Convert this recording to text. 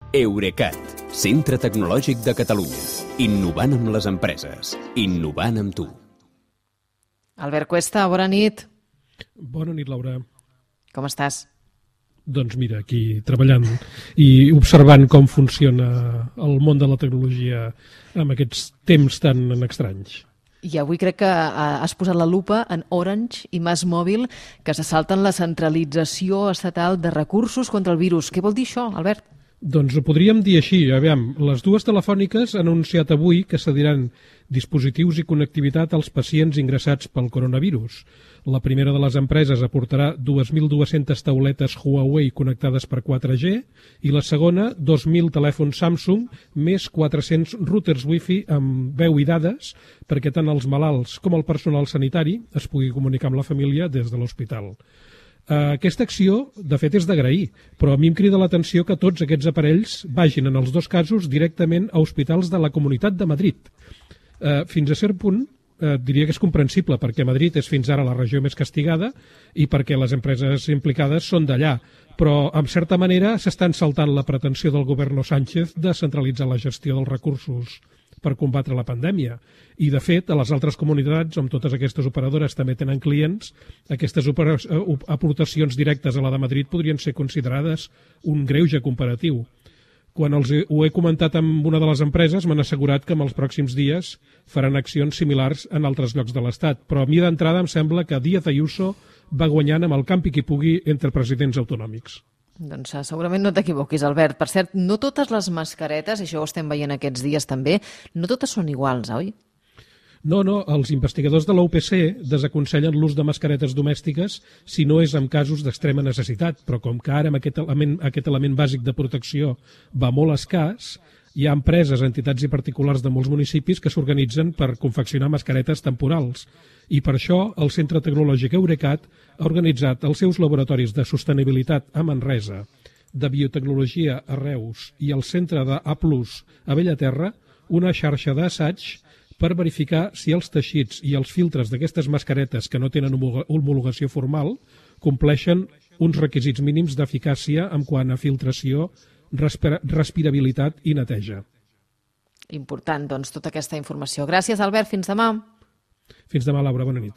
Eurecat, centre tecnològic de Catalunya. Innovant amb les empreses. Innovant amb tu. Albert Cuesta, bona nit. Bona nit, Laura. Com estàs? Doncs mira, aquí treballant i observant com funciona el món de la tecnologia amb aquests temps tan estranys. I avui crec que has posat la lupa en Orange i MásMóvil, que se salten la centralització estatal de recursos contra el virus. Què vol dir això, Albert? Doncs ho podríem dir així. Aviam, les dues telefòniques han anunciat avui que cediran dispositius i connectivitat als pacients ingressats pel coronavirus. La primera de les empreses aportarà 2.200 tauletes Huawei connectades per 4G i la segona 2.000 telèfons Samsung més 400 routers Wi-Fi amb veu i dades perquè tant els malalts com el personal sanitari es pugui comunicar amb la família des de l'hospital. Aquesta acció, de fet, és d'agrair, però a mi em crida l'atenció que tots aquests aparells vagin, en els dos casos, directament a hospitals de la Comunitat de Madrid. Fins a cert punt, diria que és comprensible, perquè Madrid és fins ara la regió més castigada i perquè les empreses implicades són d'allà, però, en certa manera, s'estan saltant la pretensió del govern Sánchez de centralitzar la gestió dels recursos per combatre la pandèmia. I, de fet, a les altres comunitats, on totes aquestes operadores també tenen clients, aquestes aportacions directes a la de Madrid podrien ser considerades un greuge comparatiu. Quan ho he comentat amb una de les empreses, m'han assegurat que en els pròxims dies faran accions similars en altres llocs de l'Estat. Però a mi d'entrada em sembla que Díaz Ayuso va guanyant amb el campi qui pugui entre presidents autonòmics. Doncs segurament no t'equivoquis, Albert. Per cert, no totes les mascaretes, i això ho estem veient aquests dies també, no totes són iguals, oi? No, els investigadors de la UPC desaconsellen l'ús de mascaretes domèstiques si no és en casos d'extrema necessitat, però com que ara amb aquest element bàsic de protecció va molt escàs, hi ha empreses, entitats i particulars de molts municipis que s'organitzen per confeccionar mascaretes temporals. I per això el Centre Tecnològic Eurecat ha organitzat els seus laboratoris de sostenibilitat a Manresa, de biotecnologia a Reus i el Centre de A+ a Bellaterra una xarxa d'assaig per verificar si els teixits i els filtres d'aquestes mascaretes que no tenen homologació formal compleixen uns requisits mínims d'eficàcia en quant a filtració, respirabilitat i neteja. Important, doncs, tota aquesta informació. Gràcies, Albert. Fins demà. Fins demà, Laura. Bona nit.